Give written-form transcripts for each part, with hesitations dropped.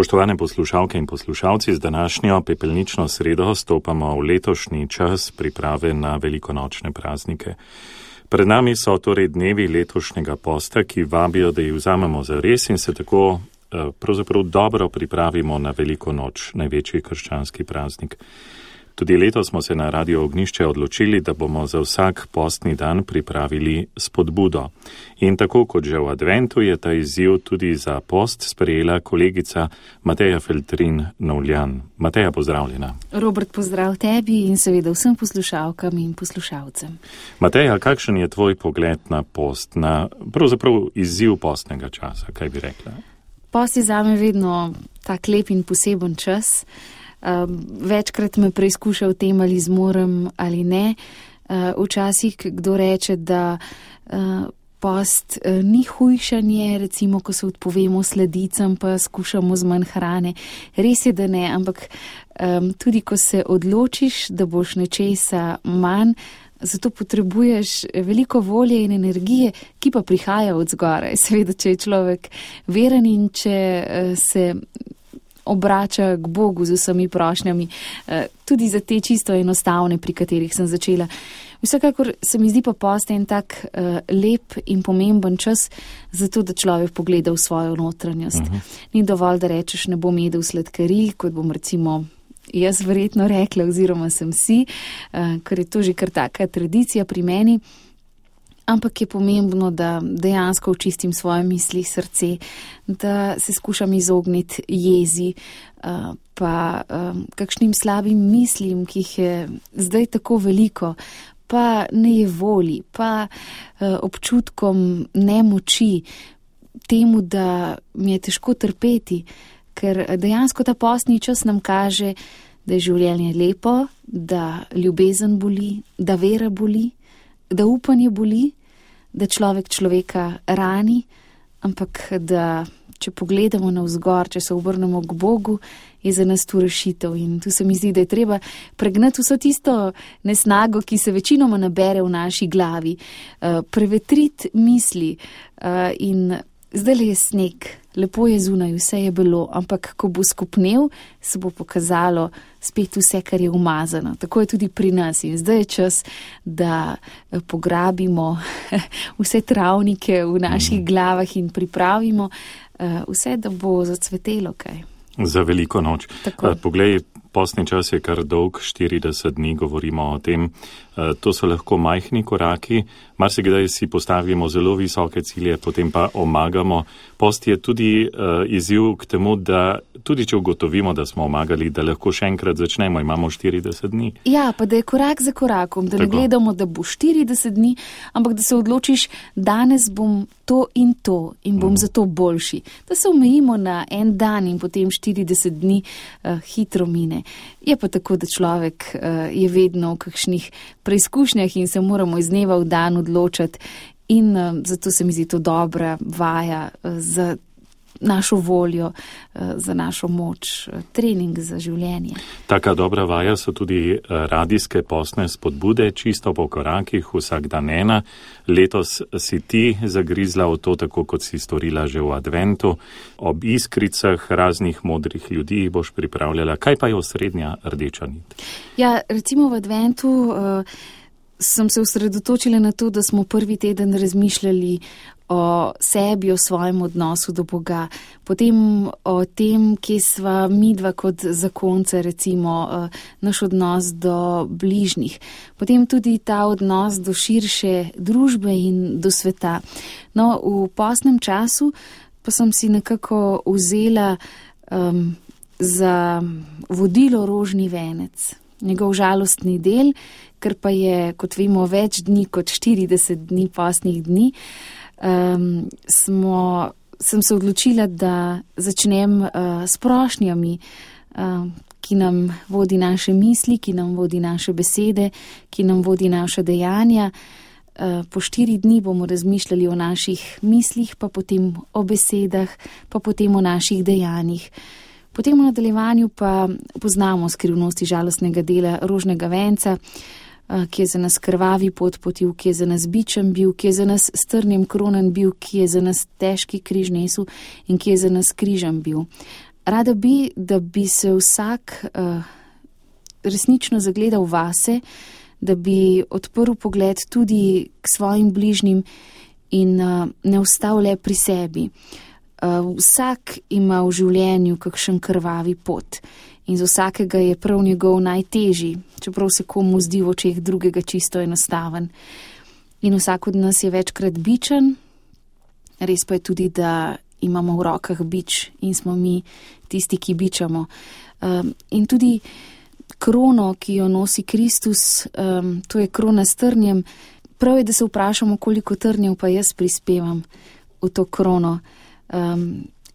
Spoštovane poslušalke in poslušalci, z današnjo pepelnično sredo stopamo v letošnji čas priprave na velikonočne praznike. Pred nami so torej dnevi letošnjega posta, ki vabijo, da jih vzamemo za res in se tako pravzaprav dobro pripravimo na veliko noč, največji krščanski praznik. Tudi letos smo se na Radio Ognjišče odločili, da bomo za vsak postni dan pripravili spodbudo. In tako kot že v adventu je ta izziv tudi za post sprejela kolegica Mateja Feltrin-Novljan. Mateja, pozdravljena. Robert, pozdrav tebi in seveda vsem poslušalkam in poslušalcem. Mateja, kakšen je tvoj pogled na post, na pravzaprav izziv postnega časa, kaj bi rekla? Post je zame vedno tak lep in poseben čas. Večkrat me preizkuša v tem, ali zmorem ali ne. Včasih kdo reče, da post ni hujšanje, recimo, ko se odpovemo sladicam, pa skušamo z manj hrane. Res je, da ne, ampak tudi ko se odločiš, da boš nečesa manj, zato potrebuješ veliko volje in energije, ki pa prihaja od zgoraj. Seveda, če je človek veren in če se obrača k Bogu z vsemi prošnjami, tudi za te čisto enostavne, pri katerih sem začela. Vsekakor se mi zdi pa post en tak lep in pomemben čas, zato da človek pogleda v svojo notranjost. Ni dovolj, da rečeš, ne bom jedel sladkarij, kot bom recimo jaz verjetno rekla, oziroma sem si, ker je to že kar taka tradicija pri meni. Ampak je pomembno, da dejansko očistim svoje misli, srce, da se skušam izogniti jezi, pa kakšnim slabim mislim, ki jih je zdaj tako veliko, pa nejevoli, pa občutkom nemoči, temu, da mi je težko trpeti, ker dejansko ta postni čas nam kaže, da je življenje lepo, da ljubezen boli, da vera boli, da upanje boli, da človek človeka rani, ampak da če pogledamo navzgor, če se obrnemo k Bogu, je za nas tu rešitev. In tu se mi zdi, da je treba pregnati vso tisto nesnago, ki se večinoma nabere v naši glavi, prevetriti misli in zdaj je sneg, lepo je zunaj, vse je bilo, ampak ko bo skopnel, se bo pokazalo spet vse, kar je umazano. Tako je tudi pri nas in zdaj je čas, da pograbimo vse travnike v naših glavah in pripravimo vse, da bo zacvetelo kaj. Za veliko noč. Poglej, postni čas je kar dolg, 40 dni govorimo o tem. To so lahko majhni koraki, marsikdaj si postavimo zelo visoke cilje, potem pa omagamo. Post je tudi izziv k temu, da tudi če ugotovimo, da smo omagali, da lahko še enkrat začnemo, imamo 40 dni. Ja, pa da je korak za korakom, da ne gledamo, da bo 40 dni, ampak da se odločiš, danes bom to in bom zato boljši. Da se omejimo na en dan in potem 40 dni hitro mine. Je pa tako, da človek je vedno v kakšnih preizkušnjah in se moramo iz dneva v dan odločati in zato se mi zdi to dobra vaja za našo voljo, za našo moč, trening za življenje. Taka dobra vaja so tudi radijske postne spodbude, čisto po korakih, vsak dan ena. Letos si ti zagrizla v to, tako kot si storila že v adventu. Ob iskricah raznih modrih ljudi boš pripravljala. Kaj pa je osrednja rdeča nit? Ja, recimo v adventu sem se osredotočila na to, da smo prvi teden razmišljali o sebi, o svojem odnosu do Boga, potem o tem, kje sva midva kot zakonca, recimo naš odnos do bližnjih, potem tudi ta odnos do širše družbe in do sveta. No, v postnem času pa sem si nekako vzela za vodilo rožni venec, njegov žalostni del, ker pa je, kot vemo, več dni kot 40 dni postnih dni, sem se odločila, da začnem s prošnjami, ki nam vodi naše misli, ki nam vodi naše besede, ki nam vodi naše dejanja. Po 4 dni bomo razmišljali o naših mislih, pa potem o besedah, pa potem o naših dejanjih. Potem v nadaljevanju pa poznamo skrivnosti žalostnega dela rožnega venca, ki je za nas krvavi potil, ki je za nas bičem bil, ki je za nas s trnjem kronan bil, ki je za nas težki križ nesel in ki je za nas križem bil. Rada bi, da bi se vsak resnično zagledal vase, da bi odprl pogled tudi k svojim bližnjim in ne ostal le pri sebi. Vsak ima v življenju kakšen krvavi pot in za vsakega je prav njegov najtežji, čeprav se komu zdi v očeh drugega čisto enostaven. In vsak od nas je večkrat bičen, res pa je tudi, da imamo v rokah bič in smo mi tisti, ki bičamo. In tudi krono, ki jo nosi Kristus, to je krona s trnjem. Prav je, da se vprašamo, koliko trnjev pa jaz prispevam v to krono.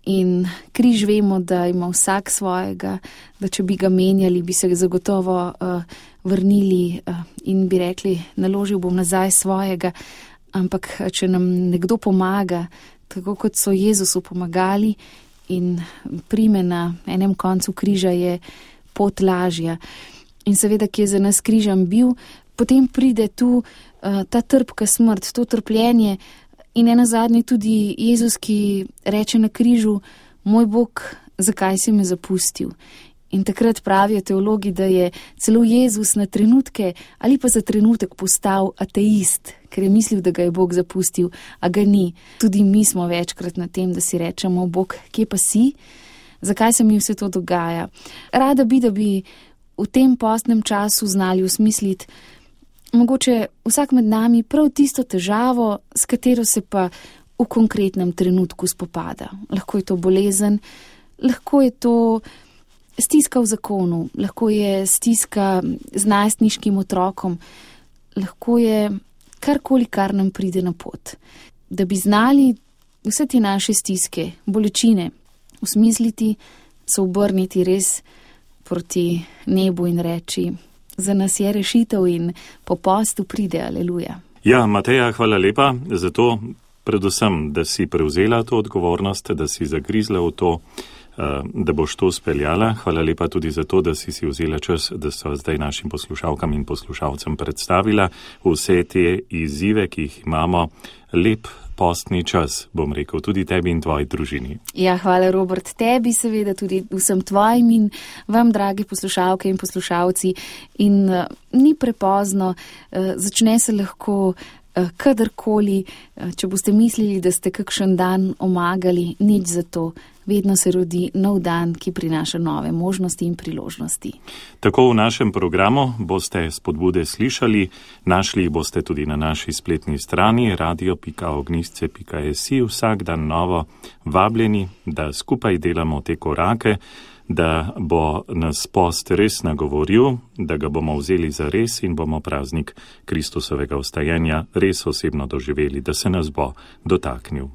In križ vemo, da ima vsak svojega, da če bi ga menjali, bi se zagotovo vrnili in bi rekli, naložil bom nazaj svojega. Ampak če nam nekdo pomaga, tako kot so Jezusu pomagali in prime na enem koncu križa, je pot lažja. In seveda, ki je za nas križem bil, potem pride tu ta trpka smrt, to trpljenje. In nenazadnje tudi Jezus, ki reče na križu, moj Bog, zakaj si me zapustil? In takrat pravijo teologi, da je celo Jezus na trenutke ali pa za trenutek postal ateist, ker je mislil, da ga je Bog zapustil, a ga ni. Tudi mi smo večkrat na tem, da si rečemo, Bog, kje pa si? Zakaj se mi vse to dogaja? Rada bi, da bi v tem postnem času znali osmisliti mogoče vsak med nami prav tisto težavo, s katero se pa v konkretnem trenutku spopada. Lahko je to bolezen, lahko je to stiska v zakonu, lahko je stiska z najstniškim otrokom, lahko je karkoli, kar nam pride na pot. Da bi znali vse te naše stiske, bolečine osmisliti, se obrniti res proti nebu in reči, za nas je rešitev in po postu pride, aleluja. Ja, Mateja, hvala lepa za to, predvsem, da si prevzela to odgovornost, da si zagrizla v to, da boš to speljala. Hvala lepa tudi za to, da si vzela čas, da so zdaj našim poslušalkam in poslušalcem predstavila vse te izzive, ki jih imamo. Lep postni čas, bom rekel, tudi tebi in tvoji družini. Ja, hvala, Robert, tebi seveda, tudi vsem tvojim in vam, dragi poslušalke in poslušalci. In ni prepozno, začne se lahko kadarkoli, če boste mislili, da ste kakšen dan omagali, nič za to. Vedno se rodi nov dan, ki prinaša nove možnosti in priložnosti. Tako v našem programu boste spodbude slišali, našli boste tudi na naši spletni strani radio.ognisce.si, vsak dan novo vabljeni, da skupaj delamo te korake, da bo nas post res nagovoril, da ga bomo vzeli za res in bomo praznik Kristusovega vstajenja res osebno doživeli, da se nas bo dotaknil.